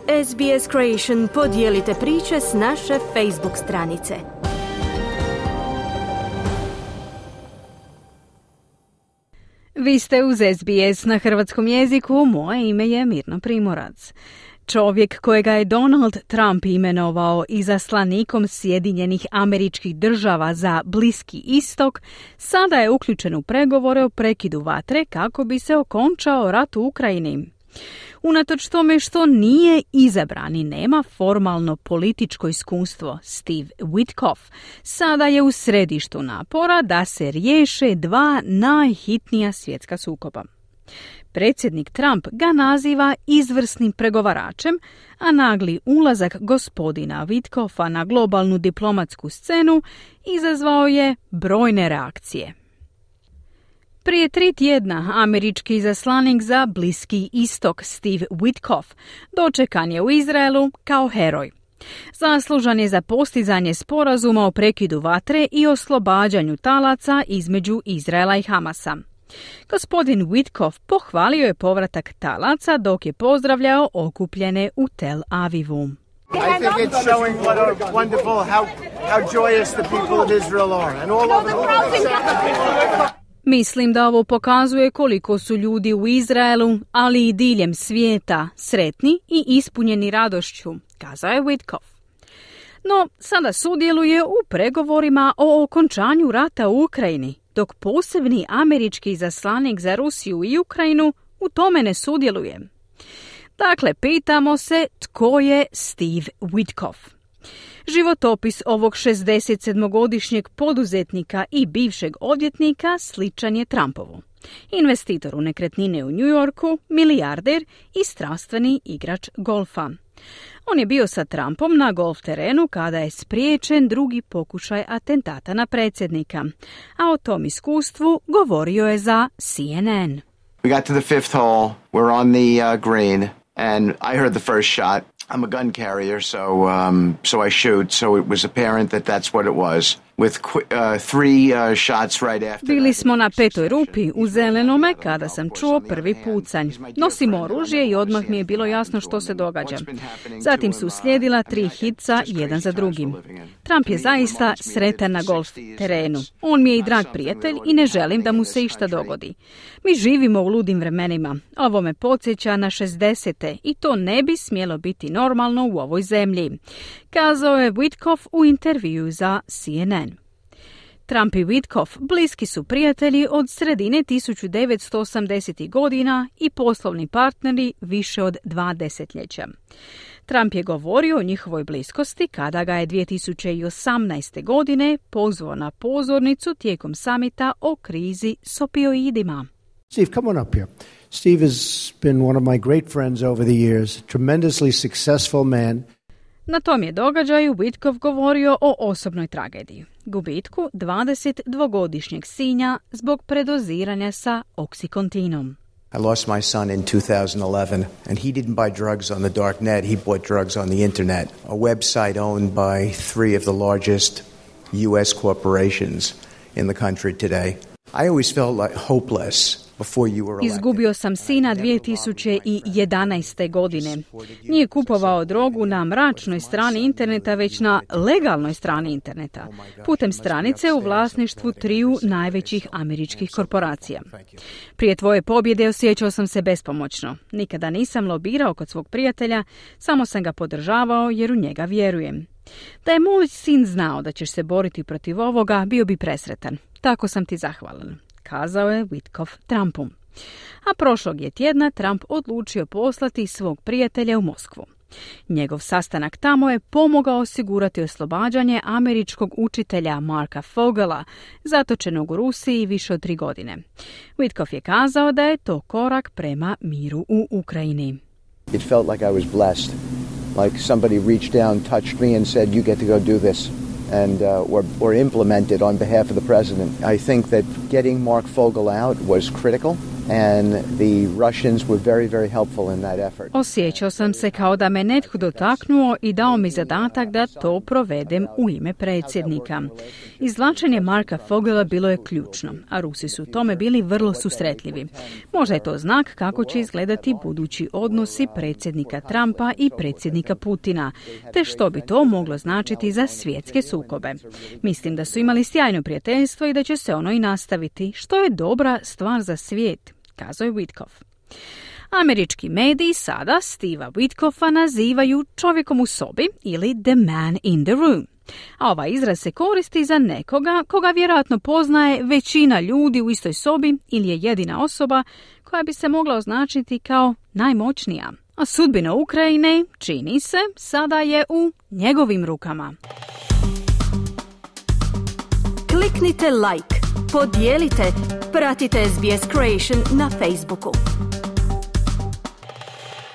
SBS Creation podijelite priče s naše Facebook stranice. Vi ste uz SBS na hrvatskom jeziku, moje ime je Mirna Primorac. Čovjek kojega je Donald Trump imenovao izaslanikom Sjedinjenih Američkih Država za Bliski istok, sada je uključen u pregovore o prekidu vatre kako bi se okončao rat u Ukrajini. Unatoč tome što nije izabran i nema formalno političko iskustvo, Steve Witkoff sada je u središtu napora da se riješe dva najhitnija svjetska sukoba. Predsjednik Trump ga naziva izvrsnim pregovaračem, a nagli ulazak gospodina Witkoffa na globalnu diplomatsku scenu izazvao je brojne reakcije. Prije 3 tjedna američki izaslanik za Bliski istok Steve Witkoff dočekan je u Izraelu kao heroj. Zaslužan je za postizanje sporazuma o prekidu vatre i oslobađanju talaca između Izraela i Hamasa. Gospodin Witkoff pohvalio je povratak talaca dok je pozdravljao okupljene u Tel Avivu. I think it's showing what a wonderful, how joyous the people of Israel are and all over the world. Mislim da ovo pokazuje koliko su ljudi u Izraelu, ali i diljem svijeta, sretni i ispunjeni radošću, kazao je Witkoff. No, sada sudjeluje u pregovorima o okončanju rata u Ukrajini, dok posebni američki izaslanik za Rusiju i Ukrajinu u tome ne sudjeluje. Dakle, pitamo se tko je Steve Witkoff. Životopis ovog 67-godišnjeg poduzetnika i bivšeg odvjetnika sličan je Trumpovu. Investitor u nekretnine u New Yorku, milijarder i strastveni igrač golfa. On je bio sa Trumpom na golf terenu kada je spriječen drugi pokušaj atentata na predsjednika, a o tom iskustvu govorio je za CNN. We got to the 5th hole, we're on the green, and I heard the first shot. I'm a gun carrier, so I shoot, so it was apparent that that's what it was. With 3 shots right after. Bili smo na 5. rupi u zelenome kada sam čuo prvi pucanj. Nosim oružje i odmah mi je bilo jasno što se događa. Zatim su uslijedila 3 hitca jedan za drugim. Trump je zaista sretan na golf terenu. On mi je i drag prijatelj i ne želim da mu se išta dogodi. Mi živimo u ludim vremenima. Ovo me podsjeća na 60. i to ne bi smjelo biti normalno u ovoj zemlji, kazao je Witkoff u intervjuu za CNN. Trump i Witkoff bliski su prijatelji od sredine 1980. godina i poslovni partneri više od 2 desetljeća. Trump je govorio o njihovoj bliskosti kada ga je 2018. godine pozvao na pozornicu tijekom samita o krizi s opioidima. Steve, come on up here. Steve has been one of my great friends over the years, tremendously successful man. Na tom je događaju Witkoff govorio o osobnoj tragediji, gubitku 22-godišnjeg sinja zbog predoziranja sa oksikontinom. I lost my son in 2011, and he didn't buy drugs on the dark net, he bought drugs on the internet, a website owned by 3 of the largest U.S. corporations in the country today. I always felt like hopeless. Izgubio sam sina 2011. godine. Nije kupovao drogu na mračnoj strani interneta, već na legalnoj strani interneta, putem stranice u vlasništvu 3 najvećih američkih korporacija. Prije tvoje pobjede osjećao sam se bespomoćno. Nikada nisam lobirao kod svog prijatelja, samo sam ga podržavao jer u njega vjerujem. Da je moj sin znao da ćeš se boriti protiv ovoga, bio bi presretan. Tako sam ti zahvalan, kazao je Witkoff Trumpu. A prošlog je tjedna Trump odlučio poslati svog prijatelja u Moskvu. Njegov sastanak tamo je pomogao osigurati oslobađanje američkog učitelja Marka Fogela, zatočenog u Rusiji više od 3 godine. Witkoff je kazao da je to korak prema miru u Ukrajini. It felt like I was blessed, like somebody reached down, touched me and said, you get to go do this. And or implemented on behalf of the president. I think that getting Mark Fogel out was critical. and the Russians were very, very helpful in that effort. Osjećao sam se kao da me netko dotaknuo i dao mi zadatak da to provedem u ime predsjednika. Izvlačenje Marka Fogela bilo je ključno, a Rusi su tome bili vrlo susretljivi. Možda je to znak kako će izgledati budući odnosi predsjednika Trumpa i predsjednika Putina, te što bi to moglo značiti za svjetske sukobe. Mislim da su imali sjajno prijateljstvo i da će se ono i nastaviti, što je dobra stvar za svijet, kazao je Witkoff. Američki mediji sada Steva Witkoffa nazivaju čovjekom u sobi ili the man in the room. A ovaj izraz se koristi za nekoga koga vjerojatno poznaje većina ljudi u istoj sobi ili je jedina osoba koja bi se mogla označiti kao najmoćnija. A sudbina Ukrajine, čini se, sada je u njegovim rukama. Kliknite like, podijelite, pratite SBS Creation na Facebooku.